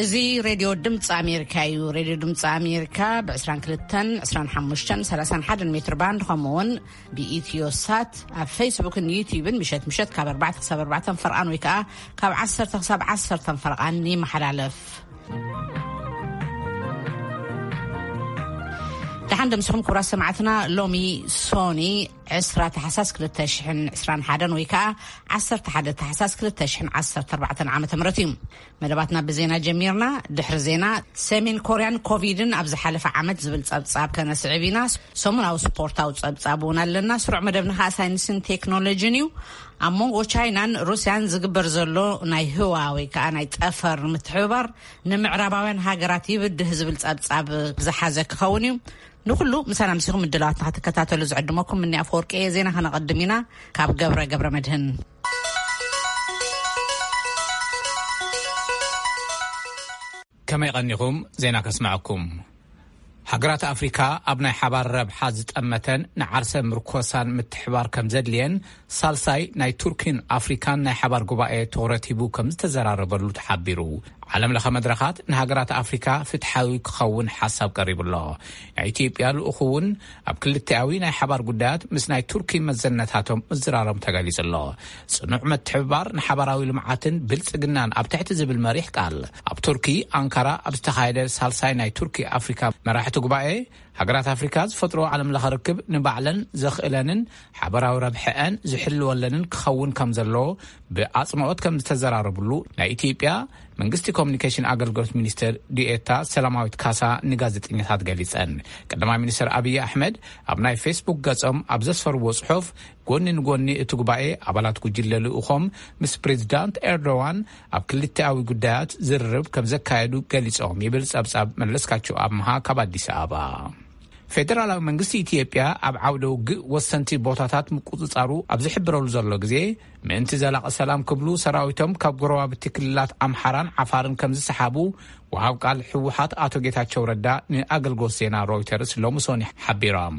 እዚ ሬድዮ ድምፂ ኣሜሪካ እዩ። ሬድዮ ድምፂ ኣሜሪካ ብ22፣ 25፣ 31 ሜትር ባንድ፣ ከምኡ እውን ብኢትዮ ሳት ኣብ ፌስቡክን ዩቲዩብን ምሸት ምሸት ካብ ኣርባዕተ ክሳብ ኣርባዕተ ፈርቓን ወይ ከዓ ካብ ዓሰርተ ክሳብ ዓሰርተ ፈርቓን ይመሓላለፍ። ደሓን ደምስኹም ክቡራት ሰማዕትና። ሎሚ ሶኒ ዕስራ ታሕሳስ ክልተ ሽሕን ዕስራን ሓደን ወይ ከዓ ዓሰርተ ሓደ ታሕሳስ ክልተ ሽሕን ዓሰርተ ኣርባዕተን ዓመተ ምህረት እዩ። መደባትና ብዜና ጀሚርና። ድሕሪ ዜና፣ ሰሜን ኮርያን ኮቪድን ኣብ ዝሓለፈ ዓመት ዝብል ጸብጻብ ከነስዕብ ኢና። ሰሙናዊ ስፖርታዊ ጸብጻብ እውን ኣለና። ስሩዕ መደብና ከዓ ሳይንስን ቴክኖሎጂን እዩ። ኣብ መንጎ ቻይናን ሩስያን ዝግበር ዘሎ ናይ ህዋ ወይ ከዓ ናይ ጠፈር ምትሕብባር ንምዕራባውያን ሃገራት ይብድህ ዝብል ጸብጻብ ዝሓዘ ክኸውን እዩ። ንኹሉ ምሳና ምሲኹም ምድላዋትና ክትከታተሉ ዝዕድመኩም ምኒ ኣፈወርቂ እየ። ዜና ከነቐድም ኢና። ካብ ገብረ ገብረ መድህን። ከመይ ቀኒኹም? ዜና ከስምዐኩም። ሃገራት ኣፍሪካ ኣብ ናይ ሓባር ረብሓ ዝጠመተን ንዓርሰ ምርኮሳን ምትሕባር ከም ዘድልየን ሳልሳይ ናይ ቱርኪን ኣፍሪካን ናይ ሓባር ጉባኤ ትኹረት ሂቡ ከም ዝተዘራረበሉ ተሓቢሩ። ዓለም ለኸ መድረኻት ንሃገራት ኣፍሪካ ፍትሓዊ ክኸውን ሓሳብ ቀሪቡ ኣሎ። ናይ ኢትዮጵያ ልኡኹ እውን ኣብ ክልቲኣዊ ናይ ሓባር ጉዳያት ምስ ናይ ቱርኪ መዘነታቶም ምዝራሮም ተገሊጹ ኣሎ። ጽኑዕ ምትሕብባር ንሓባራዊ ልምዓትን ብልጽግናን ኣብ ትሕቲ ዝብል መሪሕ ቃል ኣብ ቱርኪ ኣንካራ ኣብ ዝተኻየደ ሳልሳይ ናይ ቱርኪ ኣፍሪካ መራሕቲ ጉባኤ፣ ሃገራት ኣፍሪካ ዝፈጥሮ ዓለም ለኸ ርክብ ንባዕለን ዘኽእለንን ሓበራዊ ረብሐአን ዝሕልወለንን ክኸውን ከም ዘለዎ ብኣጽንኦት ከም ዝተዘራረብሉ ናይ ኢትዮጵያ መንግስቲ ኮሚኒኬሽን ኣገልግሎት ሚኒስትር ዲኤታ ሰላማዊት ካሳ ንጋዜጠኛታት ገሊጸን። ቀዳማይ ሚኒስትር ኣብይ ኣሕመድ ኣብ ናይ ፌስቡክ ገጾም ኣብ ዘስፈርዎ ጽሑፍ፣ ጎኒ ንጎኒ እቲ ጉባኤ፣ ኣባላት ጉጅለ ልኡኾም ምስ ፕሬዚዳንት ኤርዶዋን ኣብ ክልቲኣዊ ጉዳያት ዝርርብ ከም ዘካየዱ ገሊጾም ይብል ጸብጻብ መለስካቸው ኣምሃ ካብ ኣዲስ ኣበባ። ፌደራላዊ መንግስቲ ኢትዮጵያ ኣብ ዓውደ ውግእ ወሰንቲ ቦታታት ምቁጽጻሩ ኣብ ዝሕብረሉ ዘሎ ግዜ፣ ምእንቲ ዘላቒ ሰላም ክብሉ ሰራዊቶም ካብ ጎረባብቲ ክልላት ኣምሓራን ዓፋርን ከም ዝሰሓቡ ወሃብ ቃል ህወሓት ኣቶ ጌታቸው ረዳ ንኣገልግሎት ዜና ሮይተርስ ሎሚ ሶኒ ሓቢሮም።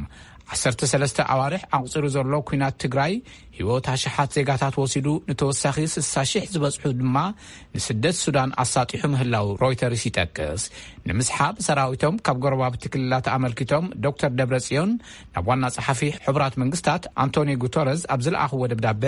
ዓሰርተ ሰለስተ ኣዋርሕ ኣቑጺሩ ዘሎ ኲናት ትግራይ ህይወት ኣሽሓት ዜጋታት ወሲዱ፣ ንተወሳኺ ስሳ ሽሕ ዝበጽሑ ድማ ንስደት ሱዳን ኣሳጢሑ ምህላው ሮይተርስ ይጠቅስ። ንምስሓብ ሰራዊቶም ካብ ጎረባብቲ ክልላት ኣመልኪቶም ዶክተር ደብረጽዮን ናብ ዋና ጸሓፊ ሕቡራት መንግስታት ኣንቶኒዮ ጉተረዝ ኣብ ዝለኣኽዎ ደብዳበ፣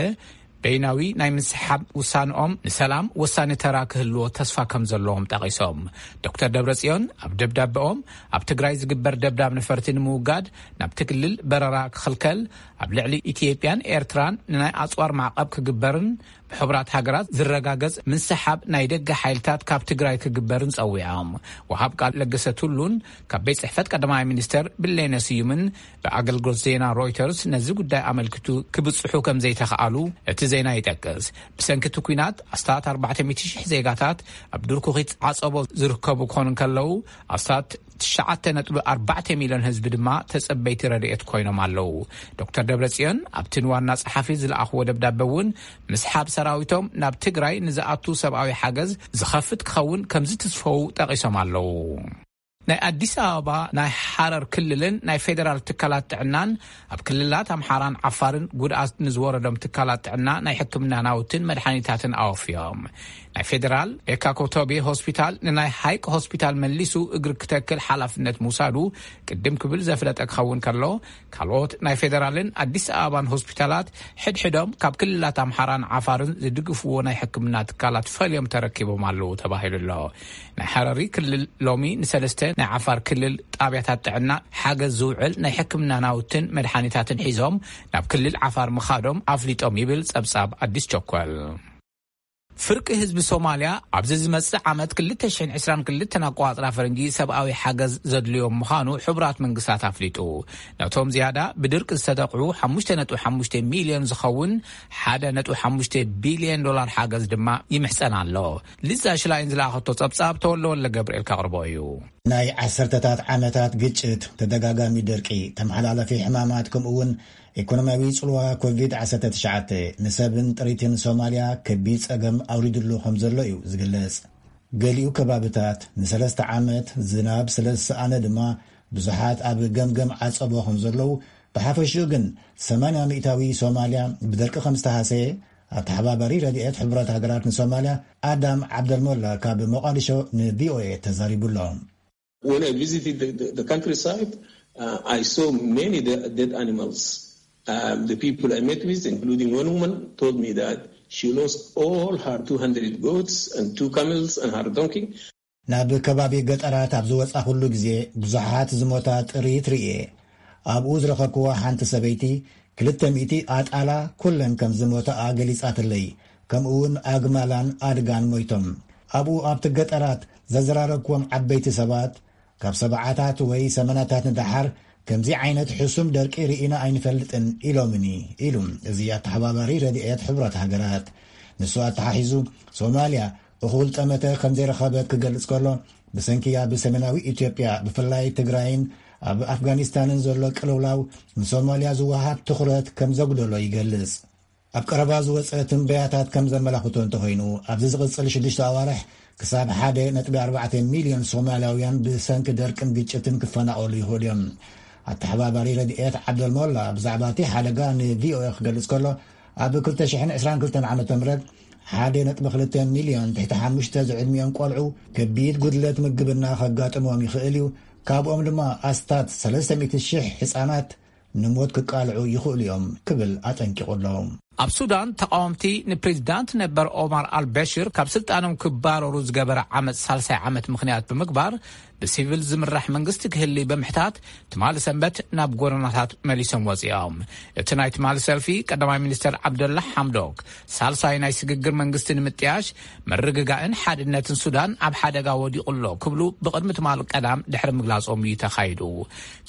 በይናዊ ናይ ምስሓብ ውሳንኦም ንሰላም ወሳኒ ተራ ክህልዎ ተስፋ ከም ዘለዎም ጠቒሶም። ዶክተር ደብረጽዮን ኣብ ደብዳበኦም፣ ኣብ ትግራይ ዝግበር ደብዳብ ነፈርቲ ንምውጋድ ናብቲ ክልል በረራ ክኽልከል፣ ኣብ ልዕሊ ኢትዮጵያን ኤርትራን ንናይ ኣጽዋር ማዕቐብ ክግበርን ብሕቡራት ሃገራት ዝረጋገጽ ምስሓብ ናይ ደገ ሓይልታት ካብ ትግራይ ክግበርን ጸዊዖም። ወሃብ ቃል ለገሰ ቱሉን ካብ ቤት ጽሕፈት ቀዳማይ ሚኒስተር ብሌነ ስዩምን ብኣገልግሎት ዜና ሮይተርስ ነዚ ጉዳይ ኣመልኪቱ ክብጽሑ ከም ዘይተኽኣሉ እቲ ዜና ይጠቅስ። ብሰንኪ እቲ ኲናት ኣስታት ኣርባዕተ ሚእቲ ሽሕ ዜጋታት ኣብ ድርኩኺት ዓጸቦ ዝርከቡ ክኾኑ እንከለዉ፣ ኣስታት ትሽዓተ ነጥቢ ኣርባዕተ ሚልዮን ህዝቢ ድማ ተጸበይቲ ረድኤት ኮይኖም ኣለዉ። ዶክተር ደብረጽዮን ኣብቲ ንዋና ጸሓፊ ዝለኣኽዎ ደብዳበ እውን፣ ምስሓብ ሰራዊቶም ናብ ትግራይ ንዝኣቱ ሰብኣዊ ሓገዝ ዝኸፍት ክኸውን ከም ዝትስፈው ጠቒሶም ኣለዉ። ናይ ኣዲስ ኣበባ፣ ናይ ሓረር ክልልን ናይ ፌደራል ትካላት ጥዕናን ኣብ ክልላት ኣምሓራን ዓፋርን ጉድኣት ንዝወረዶም ትካላት ጥዕና ናይ ሕክምና ናውትን መድሓኒታትን ኣወፍዮም። ናይ ፌደራል ኤካ ኮቶቤ ሆስፒታል ንናይ ሃይቅ ሆስፒታል መሊሱ እግሪ ክተክል ሓላፍነት ምውሳዱ ቅድም ክብል ዘፍለጠ ክኸውን ከሎ፣ ካልኦት ናይ ፌደራልን ኣዲስ ኣበባን ሆስፒታላት ሕድሕዶም ካብ ክልላት ኣምሓራን ዓፋርን ዝድግፍዎ ናይ ሕክምና ትካላት ፈልዮም ተረኪቦም ኣለዉ ተባሂሉ ኣሎ። ናይ ሓረሪ ክልል ሎሚ ንሰለስተ ናይ ዓፋር ክልል ጣብያታት ጥዕና ሓገዝ ዝውዕል ናይ ሕክምና ናውትን መድሓኒታትን ሒዞም ናብ ክልል ዓፋር ምኻዶም ኣፍሊጦም ይብል ጸብጻብ ኣዲስ ቸኮል። ፍርቂ ህዝቢ ሶማልያ ኣብዚ ዝመጽእ ዓመት ክልተ ሽሕን ዕስራን ክልተን ኣቆጻጽራ ፈረንጂ ሰብኣዊ ሓገዝ ዘድልዮም ምዃኑ ሕቡራት መንግስታት ኣፍሊጡ። ነቶም ዝያዳ ብድርቂ ዝተጠቕዑ ሓሙሽተ ነጥቢ ሓሙሽተ ሚልዮን ዝኸውን ሓደ ነጥቢ ሓሙሽተ ቢልዮን ዶላር ሓገዝ ድማ ይምሕጸን ኣሎ። ሊዛ ሽላይን ዝለኣኸቶ ጸብጻብ ተወልደ ወልደ ገብርኤል ከቕርቦ እዩ። ናይ ዓሰርተታት ዓመታት ግጭት፣ ተደጋጋሚ ደርቂ፣ ተመሓላለፊ ሕማማት፣ ከምኡ እውን ኢኮኖሚያዊ ጽልዋ ኮቪድ ዓሰርተ ትሽዓተ ንሰብን ጥሪትን ሶማልያ ከቢድ ጸገም ኣውሪዱሉ ከም ዘሎ እዩ ዝግለጽ። ገሊኡ ከባብታት ንሰለስተ ዓመት ዝናብ ስለ ዝሰኣነ ድማ ብዙሓት ኣብ ገምገም ዓጸቦ ከም ዘለዉ፣ ብሓፈሽኡ ግን ሰማንያ ሚእታዊ ሶማልያ ብደርቂ ከም ዝተሃሰየ ኣተሓባባሪ ረድኤት ሕቡራት ሃገራት ንሶማልያ ኣዳም ዓብደልሞላ ካብ ሞቓዲሾ ንቪኦኤ ተዛሪቡ ኣሎ። When I visited the, the, the countryside, uh, I saw many de- dead animals. Um, the people I met with, including one woman, told me that she lost all her two hundred goats and two camels and her donkey. ናብ ከባቢ ገጠራት ኣብ ዝወጻኹሉ ግዜ ብዙሓት ዝሞታ ጥሪት ርእየ። ኣብኡ ዝረኸብክዎ ሓንቲ ሰበይቲ ክልተ ሚእቲ ኣጣላ ኩለን ከም ዝሞታኣ ገሊጻትለይ። ከምኡ እውን ኣግማላን ኣድጋን ሞይቶም። ኣብኡ ኣብቲ ገጠራት ዘዘራረብክዎም ዓበይቲ ሰባት ካብ ሰብዓታት ወይ ሰመናታት ንደሓር ከምዚ ዓይነት ሕሱም ደርቂ ርኢና ኣይንፈልጥን ኢሎምኒ ኢሉ እዚ ኣተሓባባሪ ረድኤት ሕቡራት ሃገራት። ንሱ ኣተሓሒዙ ሶማልያ እኹል ጠመተ ከም ዘይረኸበት ክገልጽ ከሎ ብሰንኪ ኣብ ሰሜናዊ ኢትዮጵያ ብፍላይ ትግራይን ኣብ ኣፍጋኒስታንን ዘሎ ቅልውላው ንሶማልያ ዝወሃብ ትኹረት ከም ዘጉደሎ ይገልጽ። ኣብ ቀረባ ዝወፀ ትንበያታት ከም ዘመላኽቶ እንተኾይኑ ኣብዚ ዝቕፅል ሽዱሽተ ኣዋርሕ ክሳብ ሓደ ነጥቢ ኣርባዕተ ሚልዮን ሶማልያውያን ብሰንኪ ደርቅን ግጭትን ክፈናቐሉ ይኽእሉ እዮም። ኣተሓባባሪ ረድኤት ዓብደልሞላ ብዛዕባ እቲ ሓደጋ ንቪኦኤ ክገልጽ ከሎ ኣብ ክልተ ሽሕን ዕስራን ክልተን ዓመተ ምህረት ሓደ ነጥቢ ክልተ ሚልዮን ትሕቲ ሓሙሽተ ዝዕድሚኦም ቆልዑ ከቢድ ጉድለት ምግብና ከጋጥሞም ይኽእል እዩ፣ ካብኦም ድማ ኣስታት ሰለስተ ሚእቲ ሽሕ ህጻናት ንሞት ክቃልዑ ይኽእሉ እዮም ክብል ኣጠንቂቑ ኣሎ። ኣብ ሱዳን ተቃወምቲ ንፕሬዚዳንት ነበር ኦማር ኣልበሽር ካብ ስልጣኖም ክባረሩ ዝገበረ ዓመፅ ሳልሳይ ዓመት ምኽንያት ብምግባር ብሲቪል ዝምራሕ መንግስቲ ክህሊ ብምሕታት ትማሊ ሰንበት ናብ ጎደናታት መሊሶም ወፂኦም። እቲ ናይ ትማሊ ሰልፊ ቀዳማይ ሚኒስተር ዓብደላ ሓምዶክ ሳልሳይ ናይ ስግግር መንግስቲ ንምጥያሽ ምርግጋእን ሓድነትን ሱዳን ኣብ ሓደጋ ወዲቑ ኣሎ ክብሉ ብቕድሚ ትማሊ ቀዳም ድሕሪ ምግላጾም እዩ ተኻይዱ።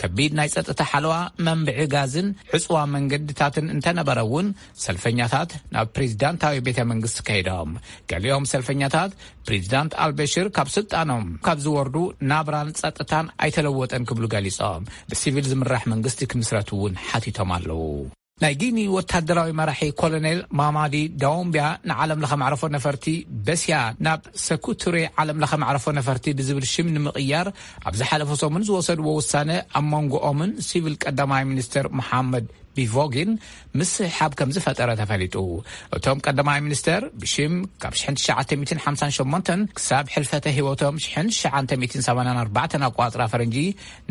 ከቢድ ናይ ጸጥታ ሓለዋ፣ መንብዒ ጋዝን ዕጽዋ መንገድታትን እንተነበረ እውን ሰልፈኛታት ናብ ፕሬዚዳንታዊ ቤተ መንግስቲ ከይዶም። ገሊኦም ሰልፈኛታት ፕሬዚዳንት ኣልበሽር ካብ ስልጣኖም ካብ ዝወርዱ ናብራን ጸጥታን ኣይተለወጠን ክብሉ ገሊጾም ብሲቪል ዝምራሕ መንግስቲ ክምስረት እውን ሓቲቶም ኣለዉ። ናይ ጊኒ ወታደራዊ መራሒ ኮሎኔል ማማዲ ዳውምቢያ ንዓለም ለኸ መዕረፎ ነፈርቲ በስያ ናብ ሰኩቱሬ ዓለም ለኸ መዕረፎ ነፈርቲ ብዝብል ሽም ንምቕያር ኣብ ዝሓለፈ ሰሙን ዝወሰድዎ ውሳነ ኣብ መንጎኦምን ሲቪል ቀዳማይ ሚኒስትር መሓመድ ቢቮጊን ምስሕሓብ ከም ዝፈጠረ ተፈሊጡ። እቶም ቀዳማይ ሚኒስተር ብሽም ካብ ሽሕን ትሽዓተ ሚእትን ሓምሳን ሸሞንተን ክሳብ ሕልፈተ ህይወቶም ሽሕን ትሽዓተ ሚእትን ሰማንያን ኣርባዕተን ኣቋጽራ ፈረንጂ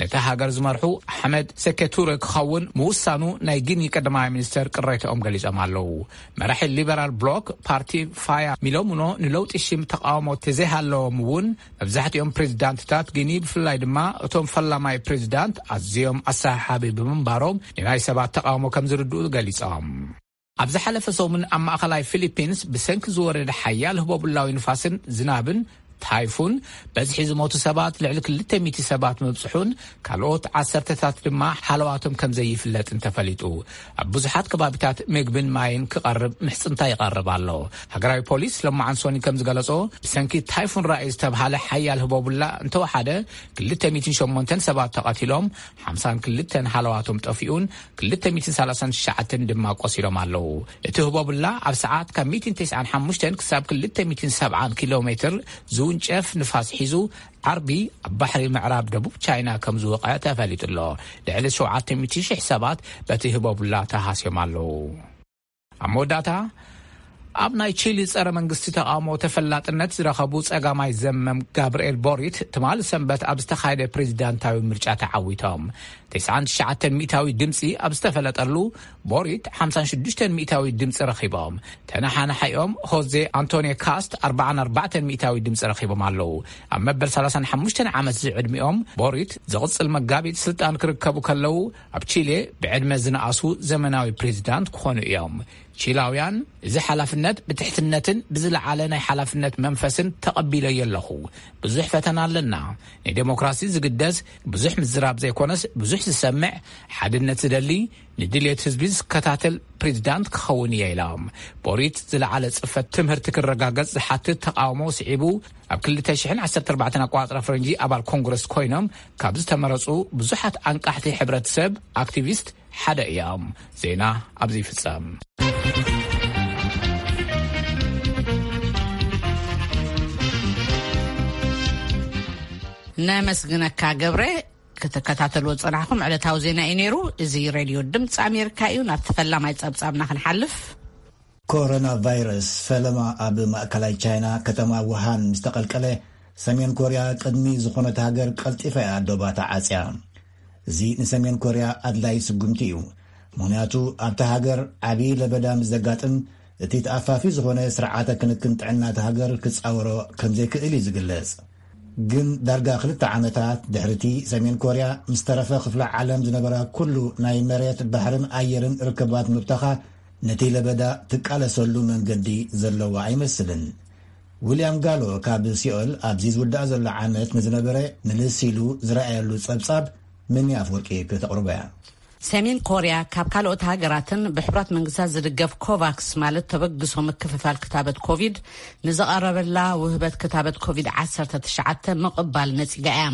ነታ ሃገር ዝመርሑ ኣሕመድ ሰኬቱረ ክኸውን ምውሳኑ ናይ ጊኒ ቀዳማይ ሚኒስተር ቅሬታኦም ገሊጾም ኣለዉ። መራሒ ሊበራል ብሎክ ፓርቲ ፋያ ሚሎሙኖ ንለውጢ ሽም ተቃውሞ ተዘይሃለዎም እውን መብዛሕትኦም ፕሬዚዳንትታት ጊኒ ብፍላይ ድማ እቶም ፈላማይ ፕሬዚዳንት ኣዝዮም ኣሰሓሓቢ ብምንባሮም ንናይ ሰባት ተቃውሞ ከም ዝርድኡ ገሊጾም። ኣብ ዝሓለፈ ሰሙን ኣብ ማእኸላይ ፊሊፒንስ ብሰንኪ ዝወረደ ሓያል ህቦብላዊ ንፋስን ዝናብን ታይፉን በዝሒ ዝሞቱ ሰባት ልዕሊ ክልተ ሚእቲ ሰባት ምብጽሑን ካልኦት ዓሰርተታት ድማ ሓለዋቶም ከም ዘይፍለጥን ተፈሊጡ። ኣብ ብዙሓት ከባቢታት ምግብን ማይን ክቐርብ ምሕጽንታ ይቐርብ ኣሎ። ሃገራዊ ፖሊስ ሎማዓን ሶኒ ከም ዝገለጾ ብሰንኪ ታይፉን ራኢ ዝተብሃለ ሓያል ህቦብላ እንተወሓደ ክልተ ሚእትን ሸሞንተን ሰባት ተቐቲሎም ሓምሳን ክልተን ሃለዋቶም ጠፊኡን ክልተ ሚእትን ሰላሳን ትሽዓተን ድማ ቆሲሎም ኣለዉ። እቲ ህቦብላ ኣብ ሰዓት ካብ ሚእትን ተስዓን ሓሙሽተን ክሳብ ክልተ ሚእትን ሰብዓን ኪሎ ሜትር ዝውንጨፍ ንፋስ ሒዙ ዓርቢ ኣብ ባሕሪ ምዕራብ ደቡብ ቻይና ከም ዝወቐዐ ተፈሊጡ ኣሎ። ልዕሊ ሸውዓተ ሚእቲ ሽሕ ሰባት በቲ ህቦብላ ተሃስዮም ኣለዉ። ኣብ መወዳእታ ኣብ ናይ ቺሊ ጸረ መንግስቲ ተቃውሞ ተፈላጥነት ዝረኸቡ ጸጋማይ ዘመም ጋብርኤል ቦሪት ትማሊ ሰንበት ኣብ ዝተኻየደ ፕሬዚዳንታዊ ምርጫ ተዓዊቶም። ተስዓን ትሽዓተን ሚእታዊ ድምፂ ኣብ ዝተፈለጠሉ ቦሪት ሓምሳን ሽዱሽተን ሚእታዊ ድምፂ ረኺቦም። ተነሓናሓዮም ሆዜ ኣንቶኒዮ ካስት ኣርባዓን ኣርባዕተን ሚእታዊ ድምፂ ረኺቦም ኣለዉ። ኣብ መበል ሰላሳን ሓሙሽተን ዓመት ዝዕድሚኦም ቦሪት ዝቕፅል መጋቢት ስልጣን ክርከቡ ከለዉ ኣብ ቺሌ ብዕድመ ዝነኣሱ ዘመናዊ ፕሬዚዳንት ክኾኑ እዮም። ቺላውያን እዚ ሓላፍነት ብትሕትነትን ብዝለዓለ ናይ ሓላፍነት መንፈስን ተቐቢለዮ ኣለኹ። ብዙሕ ፈተና ኣለና። ንዴሞክራሲ ዝግደስ ብዙሕ ምዝራብ ዘይኮነስ ብዙሕ ዝሰምዕ፣ ሓድነት ዝደሊ፣ ንድልየት ህዝቢ ዝከታተል ፕሬዚዳንት ክኸውን እየ ኢሎም። ቦሪት ዝለዓለ ጽፈት ትምህርቲ ክረጋገጽ ዝሓትት ተቃውሞ ስዒቡ ኣብ ክልተ ሽሕን ዓሰርተ ኣርባዕተን ኣቋጽራ ፈረንጂ ኣባል ኮንግረስ ኮይኖም ካብ ዝተመረጹ ብዙሓት ኣንቃሕቲ ሕብረተሰብ ኣክቲቪስት ሓደ እዮም። ዜና ኣብዚ ይፍጸም። ነመስግነካ ገብረ። ክትከታተልዎ ዝጸናሕኩም ዕለታዊ ዜና እዩ ነይሩ። እዚ ሬድዮ ድምፂ ኣሜሪካ እዩ። ናብቲ ፈላማይ ጸብጻብና ክንሓልፍ። ኮሮና ቫይረስ ፈለማ ኣብ ማእከላይ ቻይና ከተማ ውሃን ምስ ተቐልቀለ፣ ሰሜን ኮርያ ቅድሚ ዝኾነት ሃገር ቀልጢፋ እያ ዶባታ ዓጽያ። እዚ ንሰሜን ኮርያ ኣድላይ ስጉምቲ እዩ። ምኽንያቱ ኣብታ ሃገር ዓብዪ ለበዳ ምስ ዘጋጥም፣ እቲ ተኣፋፊ ዝኾነ ስርዓተ ክንክን ጥዕና እታ ሃገር ክጻወሮ ከም ዘይክእል እዩ ዝግለጽ። ግን ዳርጋ ክልተ ዓመታት ድሕሪቲ ሰሜን ኮርያ ምስ ተረፈ ክፍለ ዓለም ዝነበራ ኩሉ ናይ መሬት፣ ባሕርን ኣየርን ርክባት ምብታኻ፣ ነቲ ለበዳ ትቃለሰሉ መንገዲ ዘለዋ ኣይመስልን። ዊልያም ጋሎ ካብ ሲኦል ኣብዚ ዝውዳእ ዘሎ ዓመት ንዝነበረ ምልስ ኢሉ ዝረኣየሉ ጸብጻብ ምን ኣፍወርቂ ከተቕርቦ እያ። ሰሜን ኮርያ ካብ ካልኦት ሃገራትን ብሕቡራት መንግስታት ዝድገፍ ኮቫክስ ማለት ተበግሶ ምክፍፋል ክታበት ኮቪድ ንዘቐረበላ ውህበት ክታበት ኮቪድ ዓሰርተ ትሽዓተ ምቕባል ነጺጋ እያ።